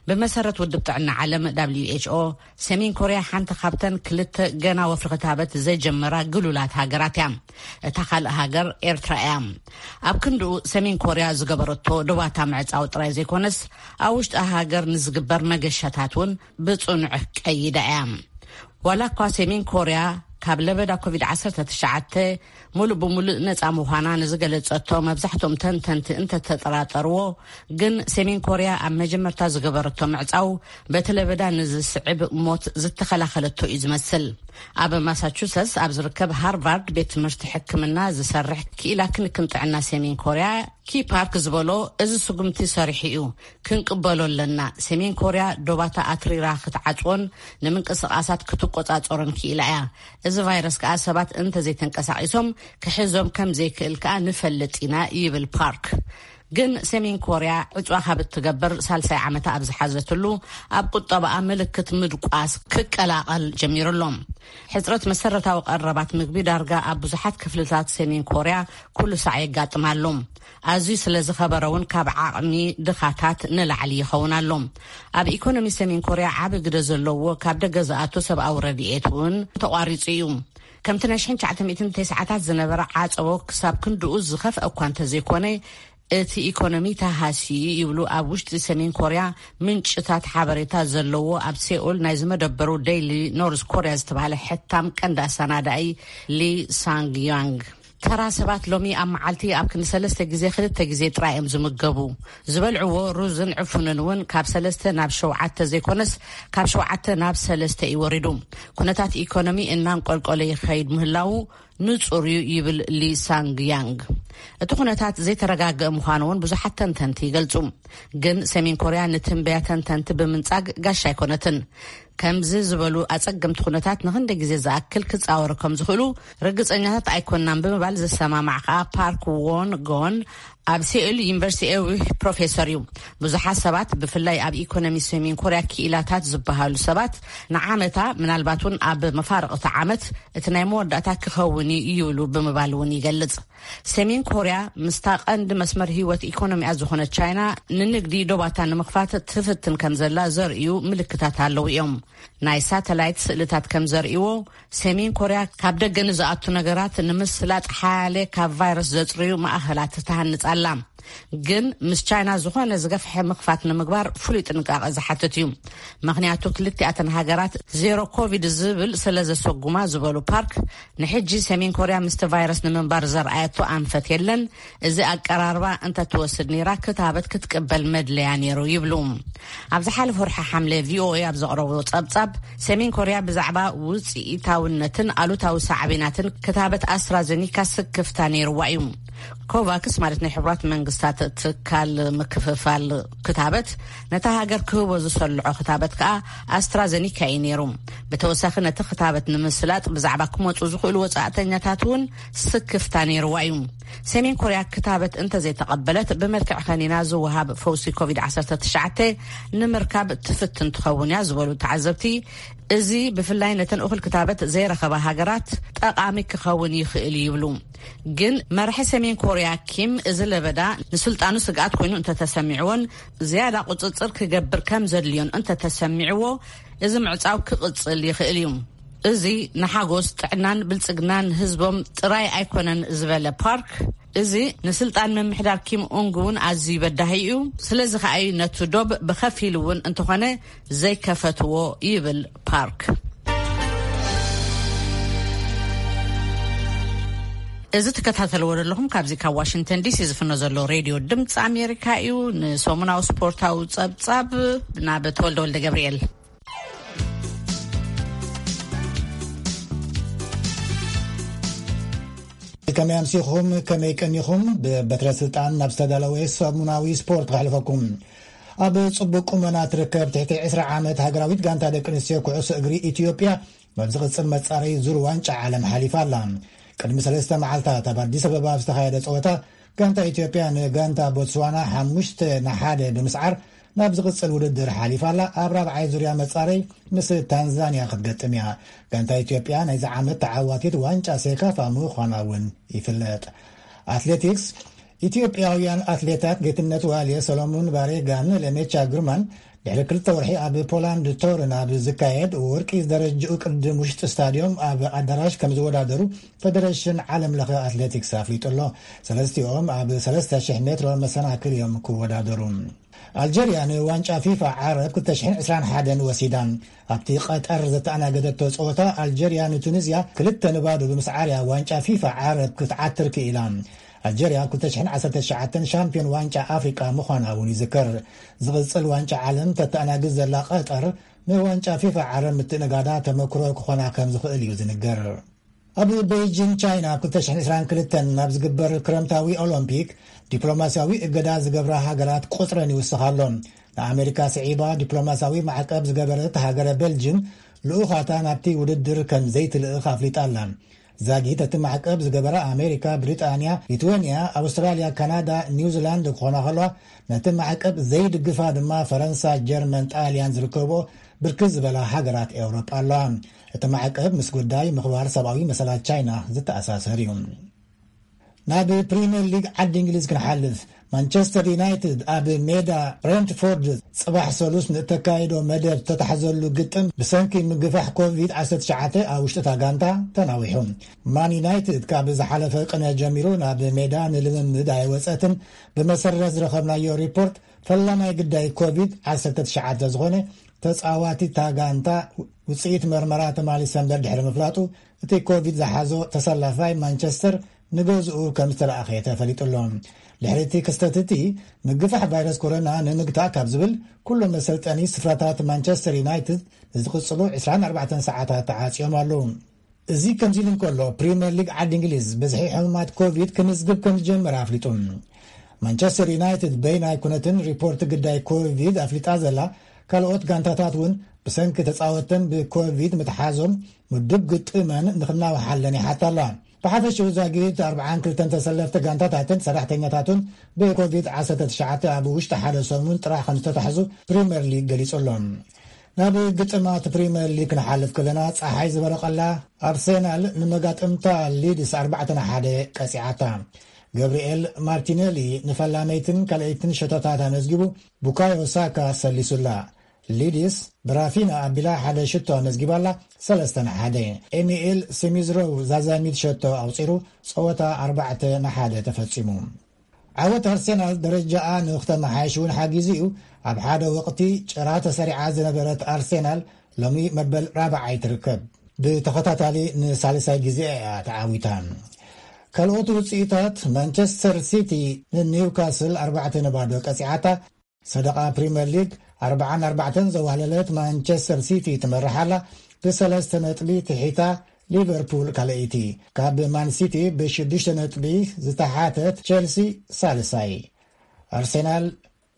ብመሰረት ውድብ ጥዕና ዓለም ደብሊው ኤች ኦ፣ ሰሜን ኮርያ ሓንቲ ካብተን ክልተ ገና ወፍሪ ክታበት ዘይጀመራ ግሉላት ሃገራት እያ። እታ ካልእ ሃገር ኤርትራ እያ። ኣብ ክንድኡ ሰሜን ኮርያ ዝገበረቶ ዶባታ ምዕጻው ጥራይ ዘይኮነስ፣ ኣብ ውሽጢ ሃገር ንዝግበር መገሻታት እውን ብጽኑዕ ቀይዳ እያ። ዋላ እኳ ሰሜን ኮርያ ካብ ለበዳ ኮቪድ ዓሰርተ ትሽዓተ ሙሉእ ብሙሉእ ነጻ ምዃና ንዝገለጸቶ መብዛሕትኦም ተንተንቲ እንተተጠራጠርዎ፣ ግን ሰሜን ኮርያ ኣብ መጀመርታ ዝገበረቶ ምዕጻው በቲ ለበዳ ንዝስዕብ ሞት ዝተኸላኸለቶ እዩ ዝመስል። ኣብ ማሳቹሰትስ ኣብ ዝርከብ ሃርቫርድ ቤት ትምህርቲ ሕክምና ዝሰርሕ ክኢላ ክንክን ጥዕና ሰሜን ኮርያ ኪ ፓርክ ዝበሎ፣ እዚ ስጉምቲ ሰሪሑ እዩ፣ ክንቅበሎ ኣለና። ሰሜን ኮርያ ዶባታ ኣትሪራ ክትዓጽዎን ንምንቅስቓሳት ክትቆጻጸሮን ክኢላ እያ። እዚ ቫይረስ ከኣ ሰባት እንተዘይተንቀሳቒሶም ክሕዞም ከም ዘይክእል ከኣ ንፈልጥ ኢና፣ ይብል ፓርክ። ግን ሰሜን ኮርያ ዕጽዋ ካብ እትገብር ሳልሳይ ዓመታ ኣብ ዝሓዘትሉ፣ ኣብ ቁጠባኣ ምልክት ምድቋስ ክቀላቐል ጀሚሩ ኣሎ። ሕጽረት መሰረታዊ ቀረባት ምግቢ ዳርጋ ኣብ ብዙሓት ክፍልታት ሰሜን ኮርያ ኩሉ ሳዕ የጋጥም ኣሎ። ኣዝዩ ስለ ዝኸበረ እውን ካብ ዓቕሚ ድኻታት ንላዕሊ ይኸውን ኣሎ። ኣብ ኢኮኖሚ ሰሜን ኮርያ ዓቢ ግደ ዘለዎ ካብ ደገ ዝኣቱ ሰብኣዊ ረድኤት እውን ተቋሪጹ እዩ። ከምቲ ናይ ሽሕን ትሽዓተ ሚእትን ተስዓታት ዝነበረ ዓጸቦ ክሳብ ክንድኡ ዝኸፍአ እኳ እንተዘይኮነ፣ እቲ ኢኮኖሚ ተሃስዩ ይብሉ ኣብ ውሽጢ ሰሜን ኮርያ ምንጭታት ሓበሬታ ዘለዎ ኣብ ሴኡል ናይ ዝመደበሩ ዴይሊ ኖርዝ ኮርያ ዝተባህለ ሕታም ቀንዲ ኣሰናዳኢ ሊ ሳንግ ያንግ። ተራ ሰባት ሎሚ ኣብ መዓልቲ ኣብ ክንዲ ሰለስተ ግዜ ክልተ ግዜ ጥራይ እዮም ዝምገቡ። ዝበልዕዎ ሩዝን ዕፉንን እውን ካብ ሰለስተ ናብ ሸውዓተ ዘይኮነስ ካብ ሸውዓተ ናብ ሰለስተ እዩ ወሪዱ። ኩነታት ኢኮኖሚ እናንቆልቆለ ይኸይድ ምህላዉ ንጹር እዩ ይብል ሊ ሳንግ ያንግ። እቲ ኩነታት ዘይተረጋገአ ምዃኑ እውን ብዙሓት ተንተንቲ ይገልጹ። ግን ሰሜን ኮርያ ንትንበያ ተንተንቲ ብምንጻግ ጋሻ ኣይኮነትን። ከምዚ ዝበሉ ኣጸገምቲ ኩነታት ንኽንደይ ግዜ ዝኣክል ክጻወሩ ከም ዝኽእሉ ርግጸኛታት ኣይኮናን ብምባል ዝሰማማዕ ከኣ ፓርክ ዎን ጎን ኣብ ሴኡል ዩኒቨርሲቲ ኤዊ ፕሮፌሰር እዩ። ብዙሓት ሰባት ብፍላይ ኣብ ኢኮኖሚ ሰሜን ኮርያ ክኢላታት ዝበሃሉ ሰባት ንዓመታ ምናልባት እውን ኣብ መፋርቕቲ ዓመት እቲ ናይ መወዳእታ ክኸውን እዩ ይብሉ ብምባል እውን ይገልጽ። ሰሜን ኮርያ ምስታ ቀንዲ መስመር ህይወት ኢኮኖሚኣ ዝኾነት ቻይና ንንግዲ ዶባታ ንምኽፋት ትፍትን ከም ዘላ ዘርእዩ ምልክታት ኣለዉ እዮም። ናይ ሳተላይት ስእልታት ከም ዘርእይዎ ሰሜን ኮርያ ካብ ደገ ንዝኣቱ ነገራት ንምስላጥ ሓያለ ካብ ቫይረስ ዘጽርዩ ማእኸላት ትሃንጽ ኣላ። ግን ምስ ቻይና ዝኾነ ዝገፍሐ ምኽፋት ንምግባር ፍሉይ ጥንቃቐ ዝሓትት እዩ። ምኽንያቱ ክልቲኣተን ሃገራት ዜሮ ኮቪድ ዝብል ስለ ዘሰጉማ ዝበሉ ፓርክ፣ ንሕጂ ሰሜን ኮርያ ምስቲ ቫይረስ ንምንባር ዘርኣየቶ ኣንፈት የለን። እዚ ኣቀራርባ እንተትወስድ ነይራ ክታበት ክትቅበል መድለያ ነይሩ ይብሉ። ኣብ ዝሓለፈ ወርሒ ሓምለ ቪኦኤ ኣብ ዘቕረቦ ጸብጻብ፣ ሰሜን ኮርያ ብዛዕባ ውጽኢታውነትን ኣሉታዊ ሳዕቤናትን ክታበት ኣስትራዘኒካ ስክፍታ ነይርዋ እዩ። ኮቫክስ ማለት ናይ ሕቡራት መንግስታት ትካል ምክፍፋል ክታበት ነታ ሃገር ክህቦ ዝሰልዖ ክታበት ከኣ ኣስትራዘኒካ እዩ ነይሩ። ብተወሳኺ ነቲ ክታበት ንምስላጥ ብዛዕባ ክመጹ ዝኽእሉ ወጻእተኛታት እውን ስክፍታ ነይርዋ እዩ። ሰሜን ኮርያ ክታበት እንተዘይተቐበለት ብመልክዕ ከኒና ዝወሃብ ፈውሲ ኮቪድ ዓሰርተ ትሽዓተ ንምርካብ ትፍትን ትኸውን እያ ዝበሉ ተዓዘብቲ፣ እዚ ብፍላይ ነተን እኹል ክታበት ዘይረኸባ ሃገራት ጠቓሚ ክኸውን ይኽእል እዩ ይብሉ። ግን መራሒ ሰሜን ኮርያ ኪም እዚ ለበዳ ንስልጣኑ ስግኣት ኮይኑ እንተተሰሚዕዎን ዝያዳ ቁጽጽር ክገብር ከም ዘድልዮን እንተተሰሚዕዎ፣ እዚ ምዕጻው ክቕጽል ይኽእል እዩ። እዚ ንሓጎስ ጥዕናን ብልጽግናን ህዝቦም ጥራይ ኣይኮነን ዝበለ ፓርክ፣ እዚ ንስልጣን ምምሕዳር ኪም ኡንግ እውን ኣዝዩ በዳሂ እዩ። ስለዚ ከኣ እዩ ነቲ ዶብ ብኸፊል እውን እንተኾነ ዘይከፈትዎ ይብል ፓርክ። እዚ ትከታተልዎ ዘለኹም ካብዚ ካብ ዋሽንግተን ዲሲ ዝፍኖ ዘሎ ሬድዮ ድምፂ ኣሜሪካ እዩ። ንሰሙናዊ ስፖርታዊ ጸብጻብ ናብ ተወልደ ወልደ ገብርኤል። ከመይ ኣምሲኹም፣ ከመይ ቀኒኹም? ብበትረ ስልጣን ናብ ዝተዳለወ ሰሙናዊ ስፖርት ከሕልፈኩም። ኣብ ጽቡቕ ቁመና ትርከብ ትሕቲ ዕስራ ዓመት ሃገራዊት ጋንታ ደቂ ኣንስትዮ ኩዕሶ እግሪ ኢትዮጵያ፣ ናብ ዝቕጽል መጻረዪ ዙር ዋንጫ ዓለም ሓሊፋ ኣላ። ቅድሚ ሰለስተ መዓልታት ኣብ ኣዲስ ኣበባ ኣብ ዝተኻየደ ጸወታ፣ ጋንታ ኢትዮጵያ ንጋንታ ቦትስዋና ሓሙሽተ ንሓደ ብምስዓር ናብ ዝቕጽል ውድድር ሓሊፋ ኣላ። ኣብ ራብዓይ ዙርያ መጻረዪ ምስ ታንዛንያ ክትገጥም እያ። ጋንታ ኢትዮጵያ ናይዚ ዓመት ተዓዋቲት ዋንጫ ሴካፋ ምዃና እውን ይፍለጥ። ኣትሌቲክስ፣ ኢትዮጵያውያን ኣትሌታት ጌትነት ዋልየ፣ ሰሎሞን ባሬጋን ለሜቻ ግርማን ድሕሪ ክልተ ወርሒ ኣብ ፖላንድ ቶርን ኣብ ዝካየድ ወርቂ ዝደረጅኡ ቅድም ውሽጢ ስታድዮም ኣብ ኣዳራሽ ከም ዝወዳደሩ ፈደረሽን ዓለም ለኸ ኣትሌቲክስ ኣፍሊጡ ኣሎ። ሰለስቲኦም ኣብ ሰለስተ ሽሕ ሜትሮ መሰናክል እዮም ክወዳደሩ። ኣልጀርያ ንዋንጫ ፊፋ ዓረብ ክልተ ሽሕን ዕስራን ሓደን ወሲዳ። ኣብቲ ቀጠር ዘተኣናገደቶ ጸወታ ኣልጀርያ ንቱኒዝያ ክልተ ንባዶ ብምስዓርያ ዋንጫ ፊፋ ዓረብ ክትዓትር ክኢላ። ኣልጀርያ ኣብ ክልተ ሽሕን ዓሰርተ ትሽዓተን ሻምፒዮን ዋንጫ ኣፍሪቃ ምዃና እውን ይዝከር። ዝቕጽል ዋንጫ ዓለም ተተኣናግድ ዘላ ቀጠር ንዋንጫ ፊፋ ዓረብ ምትእንጋዳ ተመክሮ ክኾና ከም ዝኽእል እዩ ዝንገር። ኣብ ቤይጂን ቻይና ኣብ ክልተ ሽሕን ዕስራን ክልተን ናብ ዝግበር ክረምታዊ ኦሎምፒክ ዲፕሎማስያዊ እገዳ ዝገብራ ሃገራት ቁጽረን ይውስኽ ኣሎ። ንኣሜሪካ ስዒባ ዲፕሎማስያዊ ማዕቀብ ዝገበረት ሃገረ ቤልጅም ልኡኻታ ናብቲ ውድድር ከም ዘይትልእኽ ኣፍሊጣ ኣላ። ዛጊት እቲ ማዕቀብ ዝገበራ ኣሜሪካ፣ ብሪጣንያ፣ ሊትዌንያ፣ ኣውስትራልያ፣ ካናዳ፣ ኒውዚላንድ ክኾና ከለዋ፣ ነቲ ማዕቀብ ዘይድግፋ ድማ ፈረንሳ፣ ጀርመን፣ ጣልያን ዝርከብኦ ብርክት ዝበላ ሃገራት ኤውሮጳ ኣለዋ። እቲ ማዕቀብ ምስ ጉዳይ ምኽባር ሰብኣዊ መሰላት ቻይና ዝተኣሳሰር እዩ። ናብ ፕሪምየር ሊግ ዓዲ እንግሊዝ ክንሓልፍ፣ ማንቸስተር ዩናይትድ ኣብ ሜዳ ብሬንትፎርድ ጽባሕ ሰሉስ ንእተካይዶ መደብ ተታሕዘሉ ግጥም ብሰንኪ ምግፋሕ ኮቪድ ዓሰርተ ትሽዓተ ኣብ ውሽጢ እታ ጋንታ ተናዊሑ። ማን ዩናይትድ ካብ ዝሓለፈ ቅነ ጀሚሩ ናብ ሜዳ ንልምምድ ኣይወጸትን። ብመሰረት ዝረኸብናዮ ሪፖርት፣ ፈላማይ ግዳይ ኮቪድ ዓሰርተ ትሽዓተ ዝኾነ ተጻዋቲ እታ ጋንታ ውጽኢት መርመራ ተማሊሰ እምበር ድሕሪ ምፍላጡ፣ እቲ ኮቪድ ዝሓዞ ተሰላፋይ ማንቸስተር ንገዝኡ ከም ዝተለኣኸ ተፈሊጡ ኣሎ። ድሕሪ እቲ ክስተት እቲ፣ ምግፋሕ ቫይረስ ኮሮና ንምግታእ ካብ ዝብል፣ ኩሎም መሰልጠኒ ስፍራታት ማንቸስተር ዩናይትድ ንዝቕጽሉ ዕስራን ኣርባዕተን ሰዓታት ተዓጽዮም ኣለዉ። እዚ ከምዚ ኢሉ እንከሎ፣ ፕሪምየር ሊግ ዓዲ እንግሊዝ ብዝሒ ሕሙማት ኮቪድ ክምዝግብ ከም ዝጀመረ ኣፍሊጡ። ማንቸስተር ዩናይትድ በይናይ ኩነትን ሪፖርት ግዳይ ኮቪድ ኣፍሊጣ ዘላ፣ ካልኦት ጋንታታት እውን ብሰንኪ ተጻወተን ብኮቪድ ምትሓዞም ምዱብ ግጥመን ንኽናውሓለን ይሓታ ኣለዋ። ብሓፈሽኡ ዛጊት ኣርብዓን ክልተን ተሰለፍቲ ጋንታታትን ሰራሕተኛታቱን ብኮቪድ ዓሰርተ ትሽዓተ ኣብ ውሽጢ ሓደ ሰሙን ጥራሕ ከም ዝተታሕዙ ፕሪምየር ሊግ ገሊጹ ኣሎ። ናብ ግጥማት ፕሪምየር ሊግ ክንሓልፍ ከለና፣ ጸሓይ ዝበረቐላ ኣርሴናል ንመጋጥምታ ሊድስ ኣርባዕተ ንሓደ ቀጺዓታ። ገብርኤል ማርቲኔሊ ንፈላመይትን ካልኣይትን ሸቶታት ኣመዝጊቡ፣ ቡካዮ ሳካ ሰሊሱላ። ሊድስ ብራፊና ኣቢላ ሓደ ሽቶ ኣመዝጊባላ፣ ሰለስተ ንሓደ። ኤሚኤል ስሚዝሮው ዛዛሚት ሸቶ ኣውጺሩ፣ ጸወታ ኣርባዕተ ንሓደ ተፈጺሙ። ዓወት ኣርሴናል ደረጃኣ ንክተመሓይሽ እውን ሓጊዙ እዩ። ኣብ ሓደ ወቕቲ ጭራ ተሰሪዓ ዝነበረት ኣርሴናል ሎሚ መበል ራብዓይ ትርከብ። ብተኸታታሊ ንሳልሳይ ግዜ እያ ተዓዊታ። ካልኦት ውጽኢታት፣ ማንቸስተር ሲቲ ንኒውካስል ኣርባዕተ ንባዶ ቀጺዓታ። ሰደቓ ፕሪምየር ሊግ ኣርብዓን ኣርባዕተን ዘዋህለለት ማንቸስተር ሲቲ ትመርሕ ኣላ። ብሰለስተ ነጥቢ ትሒታ ሊቨርፑል ካልኣይቲ። ካብ ማን ሲቲ ብሽዱሽተ ነጥቢ ዝተሓተት ቸልሲ ሳልሳይ። ኣርሴናል፣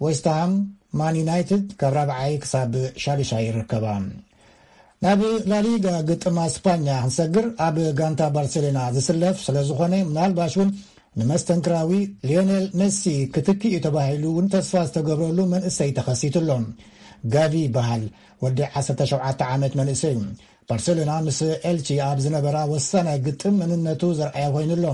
ዌስትሃም፣ ማን ዩናይትድ ካብ ራብዓይ ክሳብ ሻዱሻይ ይርከባ። ናብ ላሊጋ ግጥም ኣስፓኛ ክንሰግር፣ ኣብ ጋንታ ባርሴሎና ዝስለፍ ስለ ዝኾነ፣ ምናልባሽ እውን ንመስተንክራዊ ሊዮኔል ሜሲ ክትኪ እዩ ተባሂሉ እውን ተስፋ ዝተገብረሉ መንእሰይ ተኸሲቱ ኣሎ። ጋቪ ይበሃል። ወዲ ዓሰርተ ሸውዓተ ዓመት መንእሰይ እዩ። ባርሴሎና ምስ ኤልቺ ኣብ ዝነበራ ወሳናይ ግጥም መንነቱ ዘርኣየ ኮይኑ ኣሎ።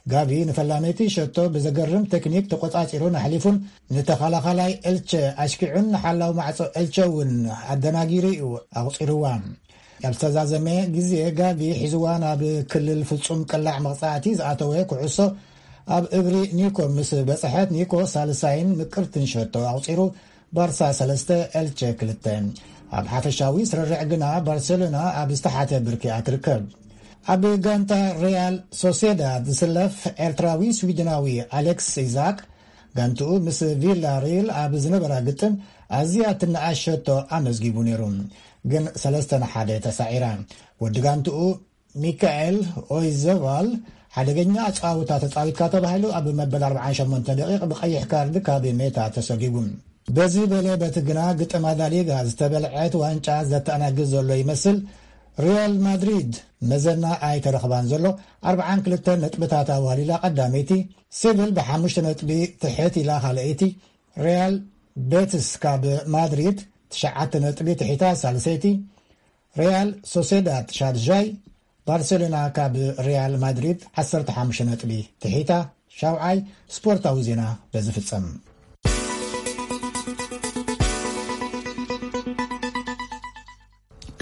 ጋቪ ንፈላመይቲ ሸቶ ብዘገርም ቴክኒክ ተቆጻጺሩን ኣሕሊፉን፣ ንተኸላኻላይ ኤልቸ ኣሽኪዑን ንሓላው ማዕጾ ኤልቸ እውን ኣደናጊሩ እዩ ኣቑጺርዋ። ኣብ ዝተዛዘመ ግዜ ጋቪ ሒዝዋ ናብ ክልል ፍጹም ቅላዕ መቕጻዕቲ ዝኣተወ ኩዕሶ ኣብ እግሪ ኒኮ ምስ በጽሐት፣ ኒኮ ሳልሳይን ምቅርትን ሸቶ ኣቑጺሩ፣ ባርሳ ሰለስተ ኤልቸ ክልተ። ኣብ ሓፈሻዊ ስርርዕ ግና ባርሴሎና ኣብ ዝተሓተ ብርኪ እያ ትርከብ። ኣብ ጋንታ ሪያል ሶሴዳድ ዝስለፍ ኤርትራዊ ስዊድናዊ ኣሌክስ ኢዛክ፣ ጋንትኡ ምስ ቪላ ሪል ኣብ ዝነበራ ግጥም ኣዝያ ትነኣሸቶ ኣመዝጊቡ ነይሩ፣ ግን ሰለስተ ንሓደ ተሳዒራ። ወዲ ጋንትኡ ሚካኤል ኦይዘቫል፣ ሓደገኛ ኣጻውታ ተጻዊትካ ተባሂሉ ኣብ መበል ኣርባዓን ሸሞንተ ደቂቕ ብቐይሕ ካርድ ካብ ሜታ ተሰጊጉ። በዚ በለ በቲ ግና፣ ግጥም ኣዳሊጋ ዝተበልዐት ዋንጫ ዘተኣናግድ ዘሎ ይመስል። ሪያል ማድሪድ መዘና ኣይተረኽባን ዘሎ። ኣርባዓን ክልተን ነጥብታት ኣዋሊላ ቀዳመይቲ፣ ሲቪል ብሓሙሽተ ነጥቢ ትሕት ኢላ ካልኣይቲ፣ ሪያል ቤትስ ካብ ማድሪድ ትሽዓተ ነጥቢ ትሒታ ሳልሰይቲ፣ ሪያል ሶሴዳድ ሻድሻይ፣ ባርሴሎና ካብ ሪያል ማድሪድ ዓሰርተ ሓሙሽተ ነጥቢ ትሒታ ሻውዓይ። ስፖርታዊ ዜና በዚ ፍጸም።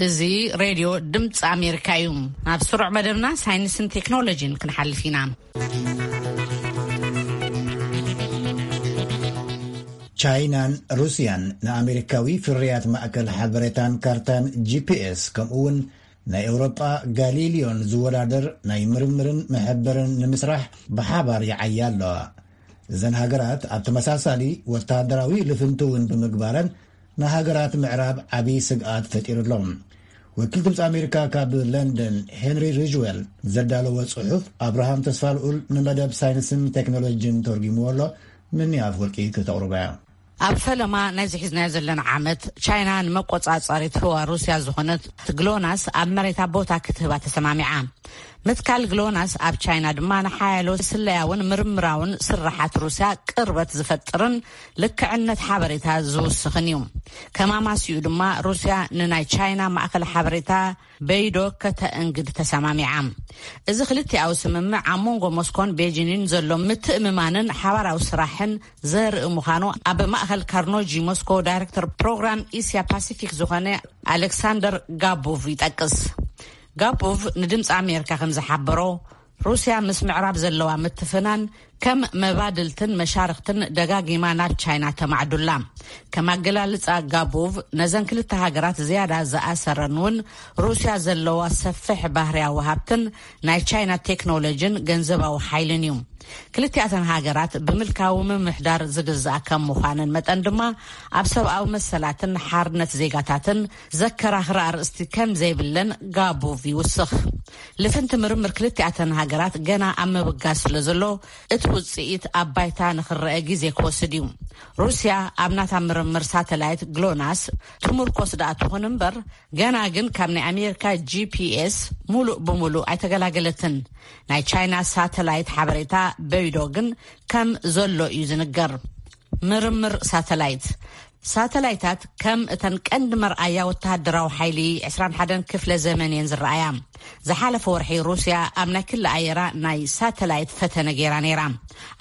እዚ ሬድዮ ድምፂ ኣሜሪካ እዩ። ናብ ስሩዕ መደብና ሳይንስን ቴክኖሎጂን ክንሓልፍ ኢና። ቻይናን ሩስያን ንኣሜሪካዊ ፍርያት ማእከል ሓበሬታን ካርታን፣ ጂ ፒ ኤስ፣ ከምኡ እውን ናይ ኤውሮጳ ጋሊሊዮን ዝወዳደር ናይ ምርምርን መሐበርን ንምስራሕ ብሓባር ይዓያ ኣለዋ። እዘን ሃገራት ኣብ ተመሳሳሊ ወታደራዊ ልፍንቲ እውን ብምግባረን ንሃገራት ምዕራብ ዓብዪ ስግኣት ፈጢሩ ኣሎ። ወኪል ድምፂ ኣሜሪካ ካብ ለንደን ሄንሪ ሪጅዌል ዘዳለዎ ጽሑፍ፣ ኣብርሃም ተስፋልኡል ንመደብ ሳይንስን ቴክኖሎጂን ተርጉምዎ ኣሎ። ምኒ ኣፍወርቂ ክተቕርቦ እያ። ኣብ ፈለማ ናይዚ ሒዝናዮ ዘለና ዓመት፣ ቻይና ንመቆጻጸሪት ህዋ ሩስያ ዝኾነት ግሎናስ ኣብ መሬታ ቦታ ክትህባ ተሰማሚዓ። ምትካል ግሎናስ ኣብ ቻይና ድማ ንሓያሎ ስለያውን ምርምራውን ስራሓት ሩስያ ቅርበት ዝፈጥርን ልክዕነት ሓበሬታ ዝውስኽን እዩ። ከማማሲኡ ድማ፣ ሩስያ ንናይ ቻይና ማእከል ሓበሬታ በይዶ ከተእንግድ ተሰማሚዓ። እዚ ክልቲኣዊ ስምምዕ ኣብ መንጎ ሞስኮን ቤጂንን ዘሎ ምትእምማንን ሓባራዊ ስራሕን ዘርኢ ምዃኑ ኣብ ማእከል ካርኖጂ ሞስኮ ዳይሬክተር ፕሮግራም እስያ ፓሲፊክ ዝኾነ ኣሌክሳንደር ጋቦቭ ይጠቅስ። ጋቦቭ ንድምፂ ኣሜሪካ ከም ዝሓበሮ፣ ሩስያ ምስ ምዕራብ ዘለዋ ምትፍናን ከም መባድልትን መሻርክትን ደጋጊማ ናብ ቻይና ተማዕዱላ። ከም ኣገላልጻ ጋቦቭ፣ ነዘን ክልተ ሃገራት ዝያዳ ዝኣሰረን እውን ሩስያ ዘለዋ ሰፍሕ ባህርያዊ ሃብትን ናይ ቻይና ቴክኖሎጂን ገንዘባዊ ሓይልን እዩ። ክልቲኣተን ሃገራት ብምልካዊ ምምሕዳር ዝግዛእ ከም ምዃነን መጠን ድማ፣ ኣብ ሰብኣዊ መሰላትን ሓርነት ዜጋታትን ዘከራኽር ኣርእስቲ ከም ዘይብለን ጋቦቭ ይውስኽ። ልፍንቲ ምርምር ክልቲኣተን ሃገራት ገና ኣብ ምብጋስ ስለ ዘሎ፣ እቲ ውጽኢት ኣብ ባይታ ንኽረአ ግዜ ክወስድ እዩ። ሩስያ ኣብ ናታ ምርምር ሳተላይት ግሎናስ ትምርኮስ ደኣ ትኹን እምበር፣ ገና ግን ካብ ናይ ኣሜሪካ ጂ ፒ ኤስ ሙሉእ ብሙሉእ ኣይተገላገለትን። ናይ ቻይና ሳተላይት ሓበሬታ በይዶ ግን ከም ዘሎ እዩ ዝንገር። ምርምር ሳተላይት። ሳተላይታት ከም እተን ቀንዲ መርኣያ ወተሃደራዊ ሓይሊ ዕስራን ሓደን ክፍለ ዘመን እየን ዝረኣያ። ዝሓለፈ ወርሒ፣ ሩስያ ኣብ ናይ ክሊ ኣየራ ናይ ሳተላይት ፈተነ ገይራ ነይራ።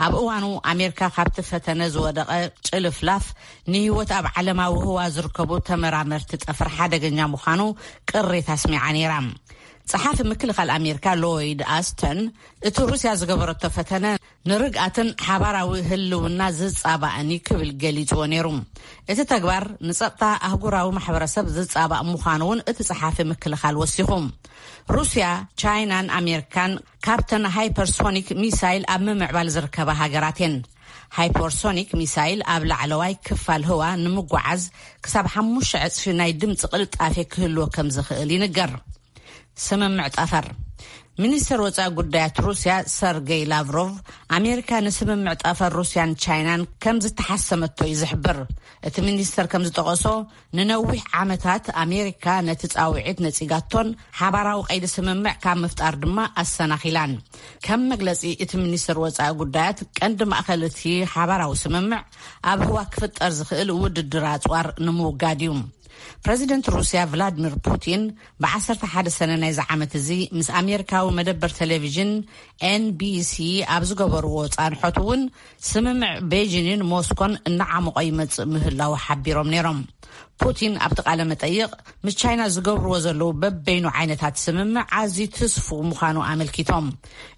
ኣብ እዋኑ፣ ኣሜሪካ ካብቲ ፈተነ ዝወደቐ ጭልፍላፍ ንህይወት ኣብ ዓለማዊ ህዋ ዝርከቡ ተመራመርቲ ጠፈር ሓደገኛ ምዃኑ ቅሬታ ኣስሚዓ ነይራ። ጸሓፊ ምክልኻል ኣሜሪካ ሎይድ ኣስተን፣ እቲ ሩስያ ዝገበረቶ ፈተነ ንርግኣትን ሓባራዊ ህልውና ዝጻባእን እዩ ክብል ገሊጽዎ ነይሩ። እቲ ተግባር ንጸጥታ ኣህጉራዊ ማሕበረሰብ ዝጻባእ ምዃኑ እውን እቲ ጸሓፊ ምክልኻል ወሲኹ። ሩስያ፣ ቻይናን ኣሜሪካን ካብተን ሃይፐርሶኒክ ሚሳይል ኣብ ምምዕባል ዝርከባ ሃገራት እየን። ሃይፐርሶኒክ ሚሳይል ኣብ ላዕለዋይ ክፋል ህዋ ንምጉዓዝ ክሳብ ሓሙሽተ ዕጽፊ ናይ ድምፂ ቅልጣፌ ክህልዎ ከም ዝኽእል ይንገር። ስምምዕ ጠፈር። ሚኒስተር ወጻኢ ጉዳያት ሩስያ ሰርጌይ ላቭሮቭ፣ ኣሜሪካ ንስምምዕ ጠፈር ሩስያን ቻይናን ከም ዝተሓሰመቶ እዩ ዝሕብር። እቲ ሚኒስተር ከም ዝጠቐሶ፣ ንነዊሕ ዓመታት ኣሜሪካ ነቲ ጻውዒት ነጺጋቶን ሓባራዊ ቀይዲ ስምምዕ ካብ ምፍጣር ድማ ኣሰናኺላን። ከም መግለጺ እቲ ሚኒስተር ወጻኢ ጉዳያት፣ ቀንዲ ማእከል እቲ ሓባራዊ ስምምዕ ኣብ ህዋ ክፍጠር ዝኽእል ውድድር ኣጽዋር ንምውጋድ እዩ። ፕረዚደንት ሩስያ ቭላድሚር ፑቲን ብ ዓሰርተ ሓደ ሰነ ናይዚ ዓመት እዚ ምስ ኣሜሪካዊ መደበር ቴሌቪዥን ኤን ቢ ሲ ኣብ ዝገበርዎ ጻንሖት እውን፣ ስምምዕ ቤጂንን ሞስኮን እናዓመቖ ይመጽእ ምህላዉ ሓቢሮም ነይሮም። ፑቲን ኣብቲ ቃለ መጠይቕ፣ ምስ ቻይና ዝገብርዎ ዘለዉ በበይኑ ዓይነታት ስምምዕ ኣዝዩ ትስፉው ምዃኑ ኣመልኪቶም።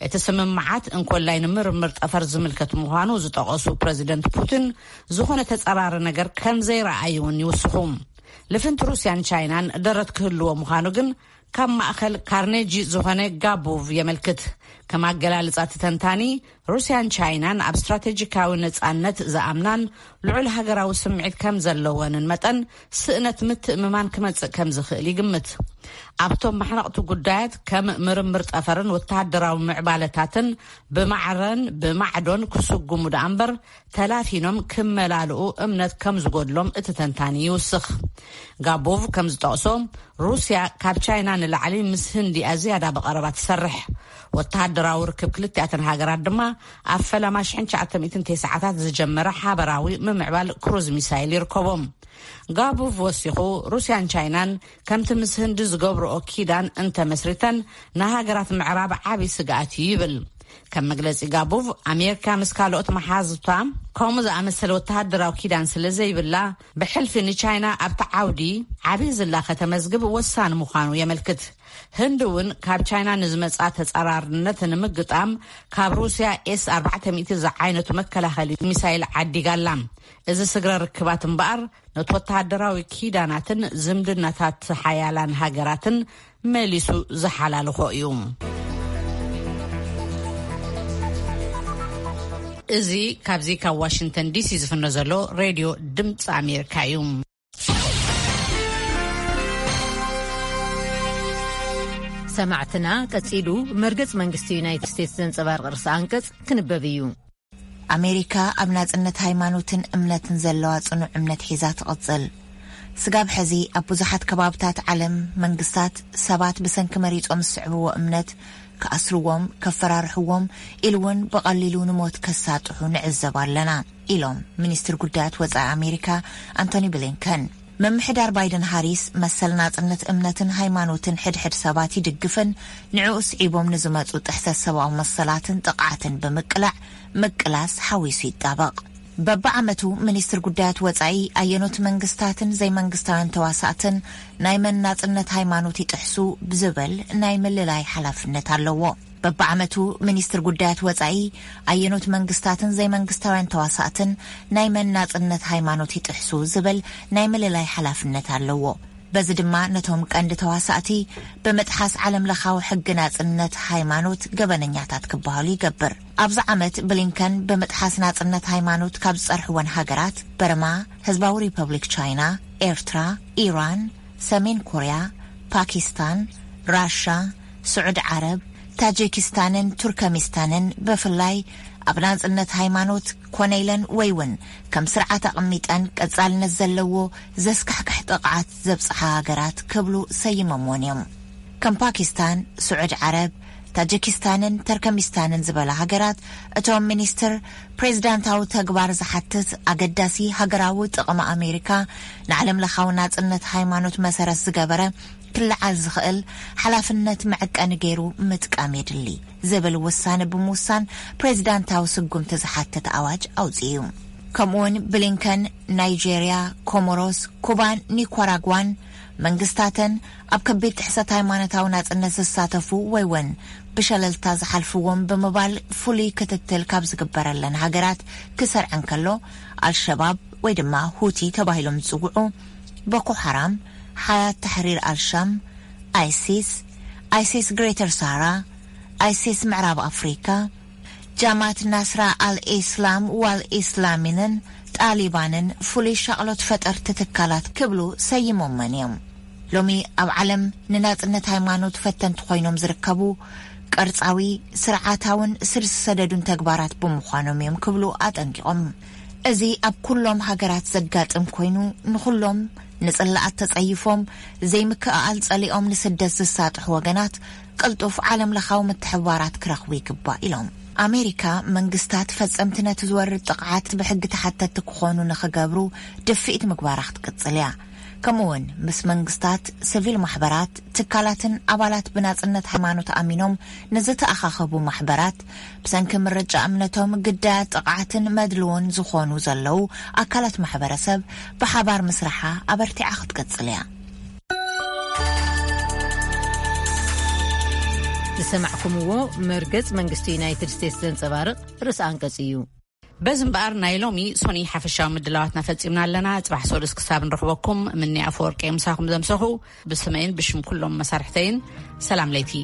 እቲ ስምምዓት እንኮላይ ንምርምር ጠፈር ዝምልከት ምዃኑ ዝጠቐሱ ፕረዚደንት ፑቲን፣ ዝኾነ ተጸራሪ ነገር ከም ዘይረኣዩ እውን ይውስኹ። ልፍንቲ ሩስያን ቻይናን ደረት ክህልዎ ምዃኑ ግን ካብ ማእኸል ካርኔጂ ዝኾነ ጋቦቭ የመልክት። ከም ኣገላልጻ እቲ ተንታኒ፣ ሩስያን ቻይናን ኣብ ስትራቴጂካዊ ነጻነት ዝኣምናን ልዑል ሃገራዊ ስምዒት ከም ዘለወንን መጠን፣ ስእነት ምትእምማን ክመጽእ ከም ዝኽእል ይግምት። ኣብቶም ማሕነቕቲ ጉዳያት ከም ምርምር ጠፈርን ወተሃደራዊ ምዕባለታትን ብማዕረን ብማዕዶን ክስጉሙ ደኣ እምበር፣ ተላፊኖም ክመላልኡ እምነት ከም ዝጎድሎም እቲ ተንታኒ ይውስኽ። ጋቦቭ ከም ዝጠቕሶ፣ ሩስያ ካብ ቻይና ንላዕሊ ምስ ህንዲ ኣዝያዳ ብቐረባ ትሰርሕ። ወተሃደራዊ ርክብ ክልቲኣተን ሃገራት ድማ ኣብ ፈለማ ሽሕን ትሽዓተ ሚእትን ተስዓታት ዝጀመረ ሓበራዊ ምምዕባል ክሩዝ ሚሳይል ይርከቦም። ጋቦቭ ወሲኹ፣ ሩስያን ቻይናን ከምቲ ምስ ህንዲ ዝገብርኦ ኪዳን እንተመስሪተን፣ ንሃገራት ምዕራብ ዓቢ ስግኣት እዩ ይብል። ከም መግለጺ ጋቦቭ፣ ኣሜሪካ ምስ ካልኦት መሓዙታ ከምኡ ዝኣመሰለ ወተሃደራዊ ኪዳን ስለ ዘይብላ፣ ብሕልፊ ንቻይና ኣብቲ ዓውዲ ዓቢ ዝላ ከተመዝግብ ወሳኒ ምዃኑ የመልክት። ህንዲ እውን ካብ ቻይና ንዝመጻ ተጻራርነት ንምግጣም ካብ ሩስያ ኤስ ኣርባዕተ ሚእቲ ዝዓይነቱ መከላኸሊ ሚሳይል ዓዲጋ ኣላ። እዚ ስግረ ርክባት እምበኣር፣ ነቲ ወተሃደራዊ ኪዳናትን ዝምድናታት ሓያላን ሃገራትን መሊሱ ዝሓላልኾ እዩ። እዚ ካብዚ ካብ ዋሽንግተን ዲሲ ዝፍኖ ዘሎ ሬድዮ ድምፂ ኣሜሪካ እዩ። ሰማዕትና፣ ቀጺሉ መርገጽ መንግስቲ ዩናይትድ ስቴትስ ዘንጸባርቕ ርእሰ ኣንቀጽ ክንበብ እዩ። ኣሜሪካ ኣብ ናጽነት ሃይማኖትን እምነትን ዘለዋ ጽኑዕ እምነት ሒዛ ትቕጽል። ስጋብ ሕዚ ኣብ ብዙሓት ከባብታት ዓለም መንግስታት ሰባት ብሰንኪ መሪጾም ዝስዕብዎ እምነት ክኣስርዎም፣ ከፈራርሕዎም፣ ኢሉ እውን ብቐሊሉ ንሞት ከሳጥሑ ንዕዘብ ኣለና፣ ኢሎም ሚኒስትር ጉዳያት ወጻኢ ኣሜሪካ ኣንቶኒ ብሊንከን። ምምሕዳር ባይደን ሃሪስ መሰል ናጽነት እምነትን ሃይማኖትን ሕድሕድ ሰባት ይድግፍን ንዕኡ ስዒቦም ንዝመጹ ጥሕሰት ሰብኣዊ መሰላትን ጥቕዓትን ብምቅላዕ ምቅላስ ሓዊሱ ይጣበቕ። በብዓመቱ ሚኒስትር ጉዳያት ወጻኢ ኣየኖት መንግስታትን ዘይመንግስታውያን ተዋሳእትን ናይ መን ናጽነት ሃይማኖት ይጥሕሱ ብዝብል ናይ ምልላይ ሓላፍነት ኣለዎ። በብዓመቱ ሚኒስትር ጉዳያት ወጻኢ ኣየኖት መንግስታትን ዘይመንግስታውያን ተዋሳእትን ናይ መን ናጽነት ሃይማኖት ይጥሕሱ ዝብል ናይ ምልላይ ሓላፍነት ኣለዎ። በዚ ድማ ነቶም ቀንዲ ተዋሳእቲ ብምጥሓስ ዓለም ለኻዊ ሕጊ ናጽነት ሃይማኖት ገበነኛታት ክበሃሉ ይገብር። ኣብዚ ዓመት ብሊንከን ብምጥሓስ ናጽነት ሃይማኖት ካብ ዝጸርሕወን ሃገራት በርማ፣ ህዝባዊ ሪፐብሊክ ቻይና፣ ኤርትራ፣ ኢራን፣ ሰሜን ኮርያ፣ ፓኪስታን፣ ራሻ፣ ስዑድ ዓረብ፣ ታጂኪስታንን ቱርከሚስታንን ብፍላይ ኣብ ናጽነት ሃይማኖት ኮነ ኢለን ወይ እውን ከም ስርዓት ኣቐሚጠን ቀጻልነት ዘለዎ ዘስካሕክሕ ጥቕዓት ዘብጽሓ ሃገራት ክብሉ ሰይሞምወን እዮም። ከም ፓኪስታን፣ ስዑድ ዓረብ፣ ታጂኪስታንን ተርከሚስታንን ዝበላ ሃገራት፣ እቶም ሚኒስትር ፕሬዚዳንታዊ ተግባር ዝሓትት ኣገዳሲ ሃገራዊ ጥቕሚ ኣሜሪካ ንዓለም ለኻዊ ናጽነት ሃይማኖት መሰረት ዝገበረ ክልዓል ዝኽእል ሓላፍነት መዐቀኒ ገይሩ ምጥቃም የድሊ ዝብል ውሳነ ብምውሳን ፕሬዚዳንታዊ ስጉምቲ ዝሓትት ኣዋጅ ኣውፅኡ እዩ። ከምኡውን ብሊንከን ናይጄርያ፣ ኮሞሮስ፣ ኩባን ኒኳራጓን መንግስታተን ኣብ ከቢድ ጥሕሰት ሃይማኖታዊ ናጽነት ዝሳተፉ ወይ እውን ብሸለልታ ዝሓልፍዎም ብምባል ፍሉይ ክትትል ካብ ዝግበረለን ሃገራት ክሰርዐን ከሎ፣ ኣልሸባብ ወይ ድማ ሁቲ ተባሂሎም ዝጽውዑ፣ ቦኮ ሓራም፣ ሓያት ታሕሪር ኣልሻም፣ ኣይሲስ፣ ኣይሲስ ግሬተር ሳራ፣ ኣይሲስ ምዕራብ ኣፍሪካ፣ ጃማት ናስራ ኣልኢስላም ዋልኢስላሚንን ጣሊባንን ፍሉይ ሻቕሎት ፈጠርቲ ትካላት ክብሉ ሰይሞመን እዮም። ሎሚ ኣብ ዓለም ንናጽነት ሃይማኖት ፈተንቲ ኮይኖም ዝርከቡ ቅርጻዊ፣ ስርዓታውን ስር ዝሰደዱን ተግባራት ብምዃኖም እዮም ክብሉ ኣጠንቂቖም። እዚ ኣብ ኩሎም ሃገራት ዘጋጥም ኮይኑ፣ ንኹሎም ንጽላኣት ተጸይፎም ዘይምክእኣል ጸሊኦም ንስደት ዝሳጥሑ ወገናት ቅልጡፍ ዓለም ለኻዊ ምትሕብባራት ክረኽቡ ይግባእ ኢሎም። ኣሜሪካ መንግስታት ፈጸምቲ ነቲ ዝወርድ ጥቕዓት ብሕጊ ተሓተትቲ ክኾኑ ንኽገብሩ ድፍኢት ምግባራ ክትቅጽል እያ። ከምኡውን ምስ መንግስታት፣ ሲቪል ማሕበራት፣ ትካላትን ኣባላት ብናጽነት ሃይማኖት ኣሚኖም ንዝተኣኻኸቡ ማሕበራት፣ ብሰንኪ ምርጫ እምነቶም ግዳያት ጥቕዓትን መድልዎን ዝኾኑ ዘለዉ ኣካላት ማሕበረሰብ ብሓባር ምስራሓ ኣበርቲዓ ክትቅጽል እያ። ዝሰማዕኩምዎ መርገጽ መንግስቲ ዩናይትድ ስቴትስ ዘንጸባርቕ ርእሰ ኣንቀጽ እዩ። በዚ እምበኣር ናይ ሎሚ ሶኒ ሓፈሻዊ ምድላዋትና ፈጺምና ኣለና። ጽባሕ ሰሉስ ክሳብ ንረኽበኩም፣ ምኒ ኣፈወርቂ ምሳኹም ዘምሰኹ። ብስመይን ብሽም ኩሎም መሳርሕተይን ሰላም ለይቲ።